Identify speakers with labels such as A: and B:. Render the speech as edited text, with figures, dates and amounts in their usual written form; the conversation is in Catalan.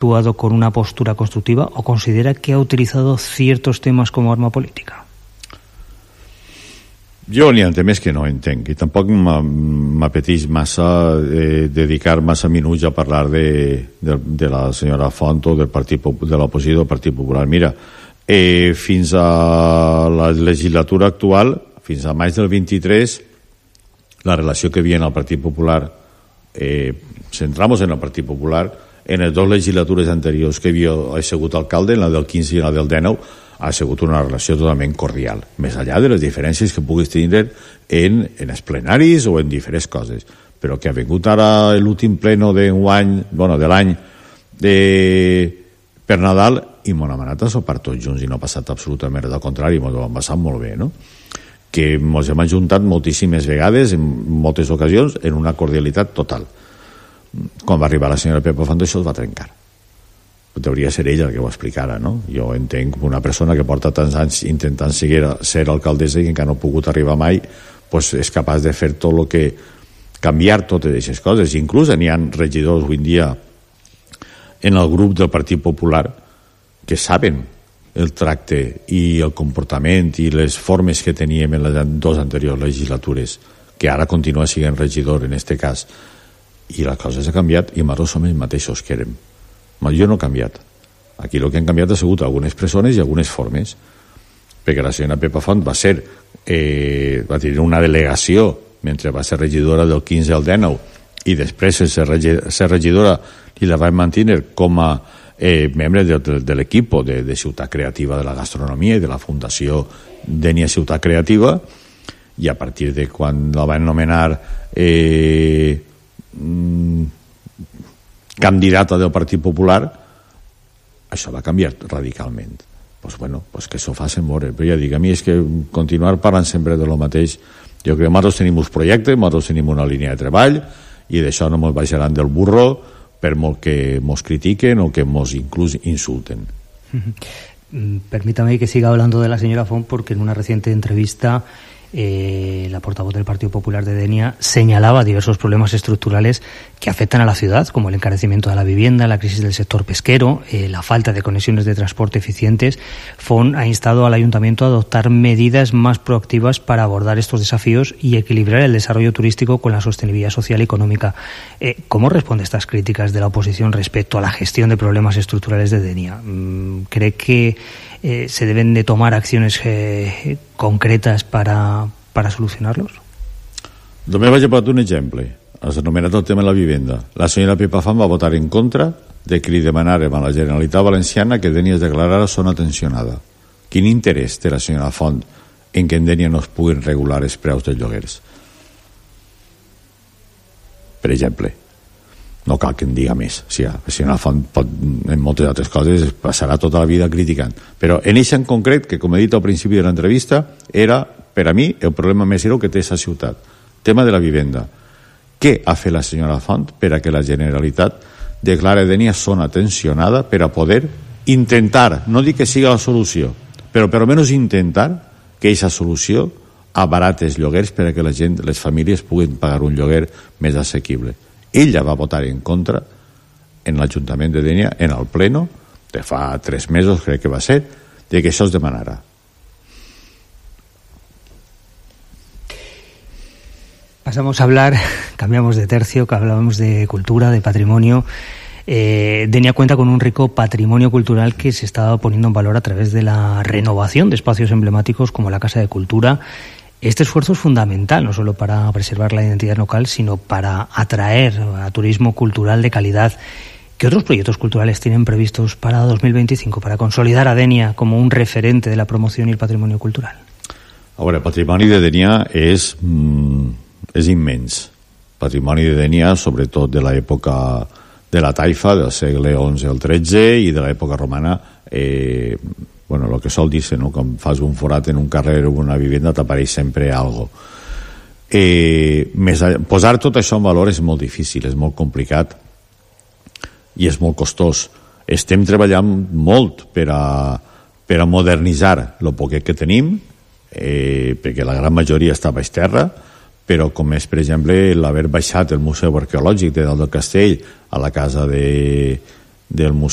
A: actuado con una postura constructiva o considera que ha utilizado ciertos temas como arma política?
B: Jo n'hi ha temes que no entenc i tampoc m'apeteix massa dedicar massa minuts a parlar de la senyora Font o de l'oposició del Partit Popular. Mira, fins a la legislatura actual, fins a maig del 23, la relació que hi havia en el Partit Popular, centramos en el Partit Popular, en les dues legislatures anteriors que havia sigut alcalde, en la del 15 i la del 19, ha sigut una relació totalment cordial, més enllà de les diferències que puguis tenir en els plenaris o en diferents coses. Però que ha vingut ara l'últim pleno d'enguany, de l'any per Nadal, i m'ho hem anat a sopar tots junts i no ha passat absolutament res, al contrari, m'ho hem passat molt bé, no? Que ens hem ajuntat moltíssimes vegades, en moltes ocasions, en una cordialitat total. Quan va arribar la senyora Pepa Font, això es va trencar. Hauria ser ella el que ho explicara, no? Jo entenc que una persona que porta tants anys intentant ser alcaldessa i que encara no ha pogut arribar mai, pues és capaç de fer tot el que... canviar totes aquestes coses. Inclús n'hi ha regidors avui en dia en el grup del Partit Popular que saben el tracte i el comportament i les formes que teníem en les dues anteriors legislatures, que ara continua sent regidor en aquest cas, i les coses han canviat i nosaltres som els mateixos que érem. Jo no he canviat. Aquí el que han canviat ha sigut algunes persones i algunes formes, perquè la senyora Pepa Font va tenir una delegació mentre va ser regidora del 15 al 19 i després ser regidora i la va mantenir com a membre de l'equip de Ciutat Creativa de la Gastronomia i de la Fundació Dènia Ciutat Creativa, i a partir de quan la van nomenar candidata del Partit Popular, això va canviar radicalment. Pues que s'ho facin veure. Però ja dic, a mi és que continuar parlant sempre de lo mateix. Jo crec que nosaltres tenim uns projectes, nosaltres tenim una línia de treball i d'això no ens baixaran del burro per molt que ens critiquen o que ens inclús insulten.
A: Permítame que siga hablando de la señora Font, porque en una reciente entrevista la portavoz del Partido Popular de Denia señalaba diversos problemas estructurales que afectan a la ciudad, como el encarecimiento de la vivienda, la crisis del sector pesquero, la falta de conexiones de transporte eficientes. Font ha instado al Ayuntamiento a adoptar medidas más proactivas para abordar estos desafíos y equilibrar el desarrollo turístico con la sostenibilidad social y económica. ¿Cómo responde a estas críticas de la oposición respecto a la gestión de problemas estructurales de Denia? ¿Cree que se deben de tomar acciones concretas para solucionarlos?
B: Només vaig a posar un exemple. Has anomenat el tema de la vivenda. La senyora Pepa Font va votar en contra de que li demanàrem a la Generalitat Valenciana que Denia es declarara zona tensionada. Quin interès té la senyora Font en que en Denia no es puguin regular els preus dels lloguers? Per exemple. No cal que en diga més. Si la senyora Font pot, en moltes altres coses, passarà tota la vida criticant. Però en això en concret, que com he dit al principi de l'entrevista, era, per a mi, el problema més greu que té aquesta ciutat. Tema de la vivenda. Què ha fet la senyora Font per a que la Generalitat declare Denia zona tensionada per a poder intentar, no dic que sigui la solució, però per almenys intentar que aquesta solució abarati els lloguers per a que la gent, les famílies puguin pagar un lloguer més assequible? Ella va votar en contra en l'Ajuntament de Denia, en el pleno de fa 3 mesos, crec que va ser, de que això es demanara.
A: Pasamos a hablar, cambiamos de tercio, que hablábamos de cultura, de patrimonio. Denia cuenta con un rico patrimonio cultural que se está poniendo en valor a través de la renovación de espacios emblemáticos como la Casa de Cultura. Este esfuerzo es fundamental, no solo para preservar la identidad local, sino para atraer a turismo cultural de calidad. ¿Qué otros proyectos culturales tienen previstos para 2025, para consolidar a Denia como un referente de la promoción y el patrimonio cultural?
B: Ahora, el patrimoni de Denia és immens. Patrimoni de Denia, sobretot de l'època de la taifa, del segle XI al XIII, i de l'època romana, el que sol dir-se, no? Quan fas un forat en un carrer o una vivenda t'apareix sempre algo. Posar tot això en valor és molt difícil, és molt complicat i és molt costós. Estem treballant molt per a modernitzar el poquet que tenim, perquè la gran majoria està baix terra, però com és, per exemple, l'haver baixat el Museu Arqueològic de Dalt del Castell a la casa de del Museu